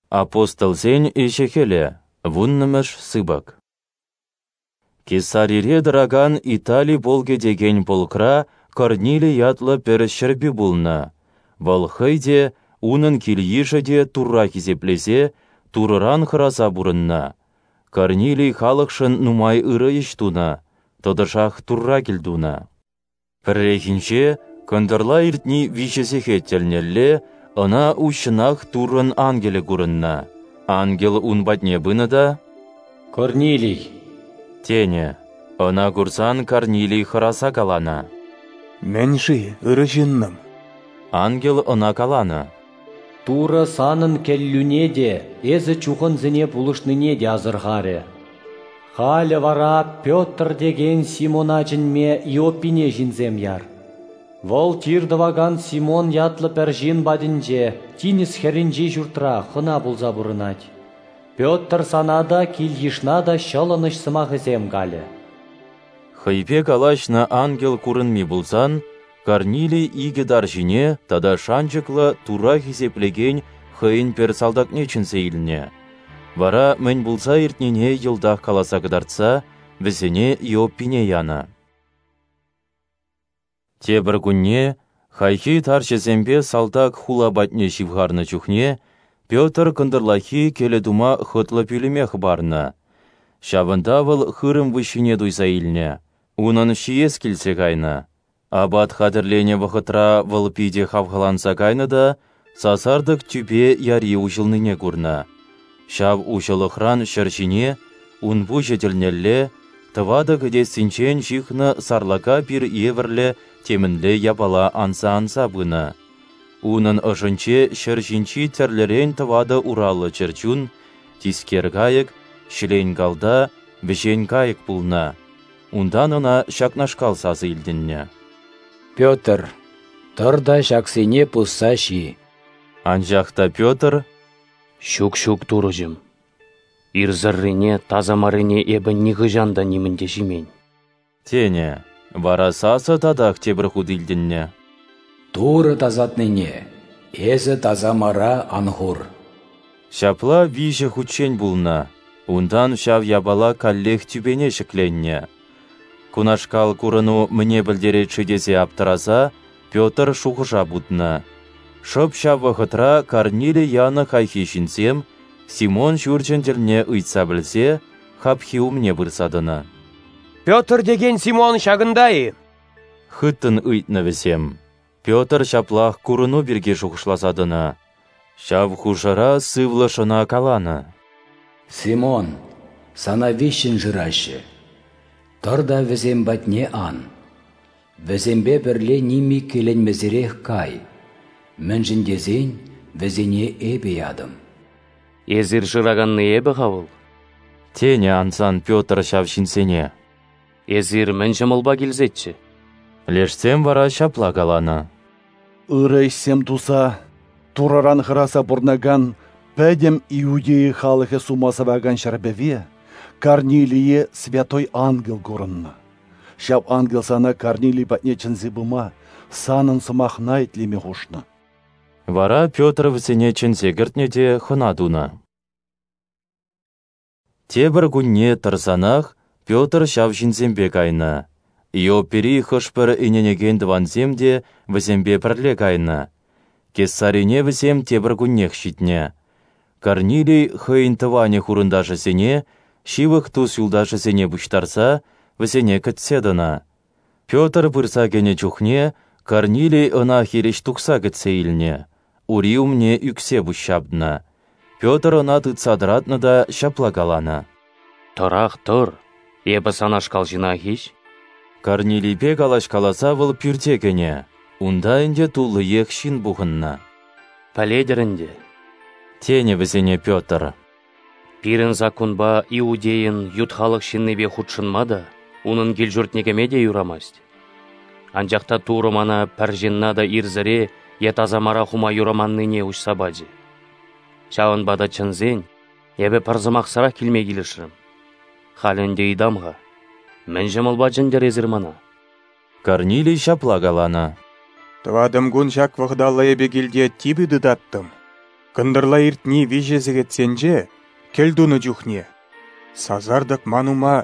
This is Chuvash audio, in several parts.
Апостолсен ӗҫӗ-хӗлӗ, вуннӑмӗш сыпӑк. Кесарире тӑракан Итали полкӗ текен полкра Корнилий ятлӑ пӗр ҫӗрпӳ пулнӑ. Вӑл хӑй те, унӑн кил-йышӗ те Турра хисеплесе, Турӑран хӑраса пурӑннӑ. Корнилий халӑхшӑн нумай ырӑ ӗҫ тунӑ, тӑтӑшах Турра кӗлтунӑ. Пӗррехинче, кӑнтӑрла иртни 3 сехет тӗлнелле, ӑна уҫҫӑнах Туррӑн ангелӗ курӑннӑ. Ангел ун патне пынӑ та: «Корнилий!» тенӗ. Ӑна курсан Корнилий хӑраса каланӑ: «Мӗн-ши, ырӑ ҫыннӑм?» Ангел ӑна каланӑ: «Турӑ санӑн кӗллӳне те, эсӗ чухӑнсене пулӑшнине те асӑрхарӗ. Халӗ вара Петр текен Симона чӗнме Иоппине ҫынсем яр. Вӑл тир тӑвакан Симон ятлӑ пӗр ҫын патӗнче, тинӗс хӗрринчи ҫуртра, хӑна пулса пурӑнать. Петр сана та, кил-йышна та ҫӑлӑнӑҫ сӑмахӗсем калӗ». Хӑйпе калаҫнӑ ангел курӑнми пулсан, Корнилий икӗ тарҫине тата шанчӑклӑ Турра хисеплекен хӑйӗн пӗр салтакне чӗнсе илнӗ. Вара мӗн пулса иртнине йӑлтах каласа кӑтартса вӗсене Иоппине янӑ. Тепӗр кунне хайхи тарҫӑсемпе салтак хула патне ҫывхарнӑ чухне Петр кӑнтӑрлахи кӗлӗ тума хӑтлӑ пӳлӗме хӑпарнӑ. Ҫавӑнта вӑл хырӑм выҫҫине туйса илнӗ, унӑн ҫиес килсе кайнӑ. Апат хатӗрленӗ вӑхӑтра вӑл питӗ хавхаланса кайнӑ та сасартӑк тӳпе яри уҫӑлнине курнӑ. Ҫав уҫӑлӑхран ҫӗр ҫине, ун пуҫӗ тӗлнелле, тӑватӑ кӗтессинчен ҫыхнӑ сарлака пир евӗрлӗ темӗнле япала анса-анса пынӑ. Унӑн ӑшӗнче ҫӗр ҫинчи тӗрлӗрен тӑватӑ ураллӑ чӗрчун, тискер кайӑк, ҫӗлен-калта, вӗҫен кайӑк пулнӑ. Унтан ӑна ҫакнашкал сасӑ илтӗннӗ: «Петр, тӑр та ҫаксене пусса ҫи». Анчах та Петр: «Ҫук, ҫук, Турӑҫӑм, ирсӗррине, таса маррине эпӗ нихӑҫан та нимӗн те ҫимен», тенӗ. Вара сасӑ татах тепӗр хут илтӗннӗ: «Турӑ тасатнине эсӗ таса мара ан хур». Ҫапла 3 хутчен пулнӑ. Унтан ҫав япала каллех тӳпене ҫӗкленнӗ. Кунашкал курӑну мӗне пӗлтерет-ши тесе аптӑраса Петр шухӑша путнӑ. Шӑп ҫав вӑхӑтра Корнилий янӑ хайхи ҫынсем Симон ҫурчӗн тӗлне ыйтса пӗлсе хапхи умне пырса тӑнӑ. «Петр текен Симон ҫакӑнта-и?» Хыттӑн ыйтнӑ вӗсем. Петр ҫаплах курӑну пирки шухӑшласа тӑнӑ. Ҫав хушӑра сывлӑш ӑна каланӑ: «Симон, сана виҫҫӗн шыраҫҫӗ. Тӑр та вӗсем патне ан. Вӗсемпе пӗрле ним иккӗленмесӗрех кай, мӗншӗн тесен вӗсене эпӗ ятӑм». «Эсир шыраканни эпӗ-ха вӑл», тенӗ ансан Петр ҫав ҫынсене. «Эсир мӗн ҫӑмӑлпа килсеччӗ?» Лешсем вара ҫапла каланӑ: «Ырӑ ӗҫсем туса, Турӑран хӑраса пурӑнакан пӗтӗм Иудея халӑхӗ сума сӑвакан ҫӗрпӗве Корнилие святой ангел курӑннӑ. Ҫав ангел сана Корнилий патне чӗнсе пыма, санӑн сӑмахна итлеме хушнӑ». Вара Петр вӗсене чӗнсе кӗртнӗ те хӑна тунӑ. Тепӗр кунне тӑрсанах Петр ҫав ҫынсемпе кайнӑ. Иоппири хӑш-пӗр ӗненекен тӑвансем те вӗсемпе пӗрле кайнӑ. Кесарине вӗсем тепӗр куннех ҫитнӗ. Корнилий хӑйӗн тӑванӗ хурӑнташӗсене, ҫывӑх тус-юлташӗсене пуҫтарса вӗсене кӗтсе тӑнӑ. Петр пырса кӗнӗ чухне Корнилий ӑна хирӗҫ тухса кӗтсе илнӗ, ури умне ӳксе пуҫҫапнӑ. Петр ӑна тытса тӑратнӑ та ҫапла каланӑ: «Тӑрах тӑр, эпӗ санашкал ҫынах-иҫ». Корнилийпе калаҫкаласа вӑл пӳрте кӗнӗ. Унта ӗнтӗ туллиех ҫын пухӑннӑ. «Пӗлетӗр ӗнтӗ, тенӗ вӗсене Петр. Пирӗн саккунпа иудейӑн ют халӑх ҫыннипе хутшӑнма та, унӑн кил-ҫуртне кӗме те юрамасть. Анчах та Турӑ мана пӗр ҫынна та ирсӗре е таса мара хума юраманнине уҫса пачӗ. Ҫавӑнпа та чӗнсен, эпӗ пӗр сӑмахсӑрах килме килӗшрӗм. Халӗ ӗнтӗ ыйтам-ха, мӗн ҫӑмӑлпа чӗнтӗр эсир мана?» Корнилий ҫапла каланӑ: «Тӑватӑм кун ҫак вӑхӑталла эпӗ килте типӗ тытаттӑм. Кӑнтӑрла иртни 3 сехетсенче, кӗлтунӑ чухне, сасартӑк ман ума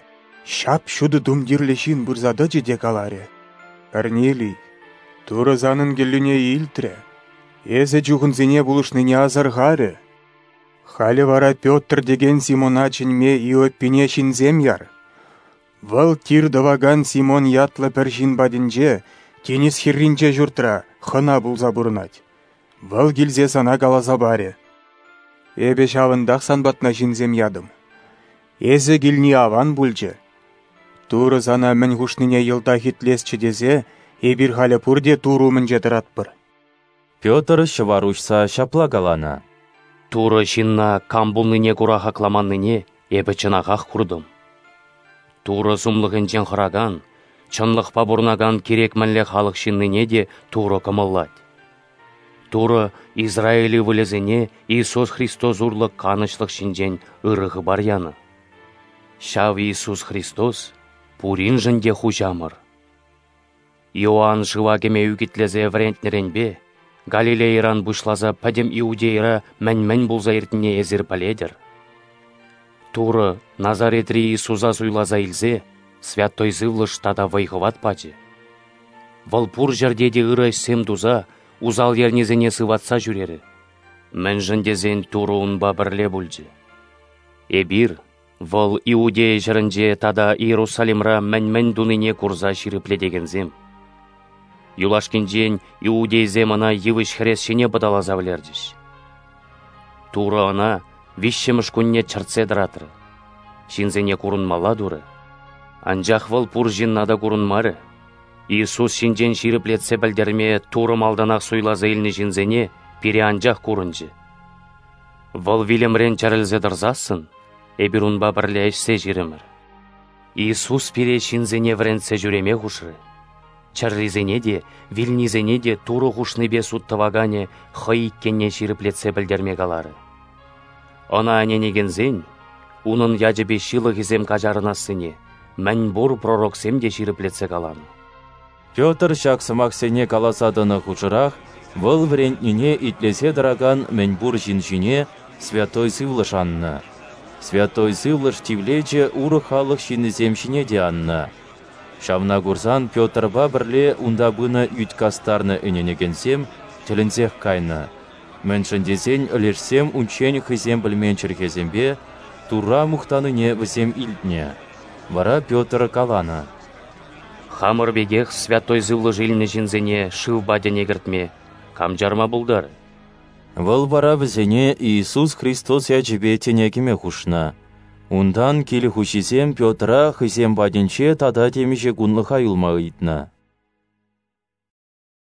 ҫап-ҫутӑ тумтирлӗ ҫын пырса тӑчӗ те каларӗ: Корнилий, Турӑ санӑн кӗллӳне илтрӗ, эсӗ чухӑнсене пулӑшнине асӑрхарӗ. Халӗ вара Петр текен Симона чӗнме Иоппине ҫынсем яр. Вӑл тир тӑвакан Симон ятлӑ пӗр ҫын патӗнче, тинӗс хӗрринче ҫуртра, хӑна пулса пурӑнать. Вӑл килсе сана каласа парӗ. Эпӗ ҫавӑнтах сан патна ҫынсем ятӑм. Эсӗ килни аван пулчӗ. Турӑ сана мӗн хушнине йӑлтах итлесчӗ тесе эпир халӗ пурте Турӑ умӗнче тӑратпӑр. Петр ҫӑвар уҫса ҫапла каланӑ: Турӑ ҫынна кам пулнине кура хакламаннине эпӗ чӑнахах куртӑм. Турӑ сумлӑхӗнчен хӑракан, чӑнлӑхпа пурӑнакан кирек мӗнле халӑх ҫыннине те Турӑ кӑмӑллать. Турӑ Израиль ывӑлӗсене Иисус Христос урлӑ канӑҫлӑх ҫинчен ырӑ хыпар янӑ. Ҫав Иисус Христос пуриншӗн те хуҫамӑр. Иоанн шыва кӗме ӳкӗтлесе вӗрентнӗренпе Галилейӑран пуҫласа пӗтӗм Иудейӑра мӗн-мӗн пулса иртнине эсир пӗлетӗр. Турӑ Назаретри Иисуса суйласа илсе Святой Сывлӑш тата вӑй-хӑват пачӗ. Вӑл пур ҫӗрте те ырӑ ӗҫсем туса усал ернисене сыватса ҫӳрерӗ. Мӗншӗн тесен Турӑ унпа пӗрле пулчӗ. Эпир вӑл Иудея ҫӗрӗнче тата Иерусалимра мӗн-мӗн тунине курса ҫирӗплетекенсем. Юлашкинчен иудейсем ӑна йывӑҫ хӗрес ҫине пӑталаса вӗлерчӗҫ. Турӑ ӑна виҫҫӗмӗш кунне чӗртсе тӑратрӗ. Ҫынсене курӑнмалла турӗ. Анчах вӑл пур ҫынна та курӑнмарӗ. Иисус ҫинчен ҫирӗплетсе пӗлтерме Турӑ малтанах суйласа илнӗ ҫынсене пире анчах курӑнчӗ. Вӑл вилӗмрен чӗрӗлсе тӑрсассӑн эпир унпа пӗрле ӗҫсе ҫирӗмӗр. Иисус пире ҫынсене вӗрентсе ҫӳреме хушрӗ. Чӗррисене те, вилнисене те Турӑ хушнипе суд тӑваканӗ хӑй иккенне ҫирӗплетсе пӗлтерме каларӗ. Ӑна ӗненекенсен унӑн ячӗпе ҫылӑхӗсем каҫарӑнассине мӗнпур пророксем те ҫирӗплетсе каланӑ. Петр ҫак сӑмахсене каласа тӑнӑ хушӑрах вӑл вӗрентнине итлесе тӑракан мӗнпур ҫын ҫине Святой Сывлӑш аннӑ. Святой Сывлӑш тивлечӗ урӑх халӑх ҫыннисем ҫине те аннӑ. Ҫавна курсан Петрпа пӗрле унта пынӑ ӳт кастарнӑ ӗненекенсем тӗлӗнсех кайнӑ. Мӗншӗн тесен лешсем унччен хӑйсем пӗлмен чӗлхесемпе Турра мухтанине вӗсем илтнӗ. Вара Петр каланӑ: Хамӑр пекех Святой Сывлӑш илнӗ ҫынсене шывпа тӗне кӗртме кам чарма пултарӗ? Вӑл вара вӗсене Иисус Христос ячӗпе тӗне кӗме хушнӑ. Унтан кил хуҫисем Петра хӑйсем патӗнче тата темиҫе кунлӑха юлма ыйтнӑ.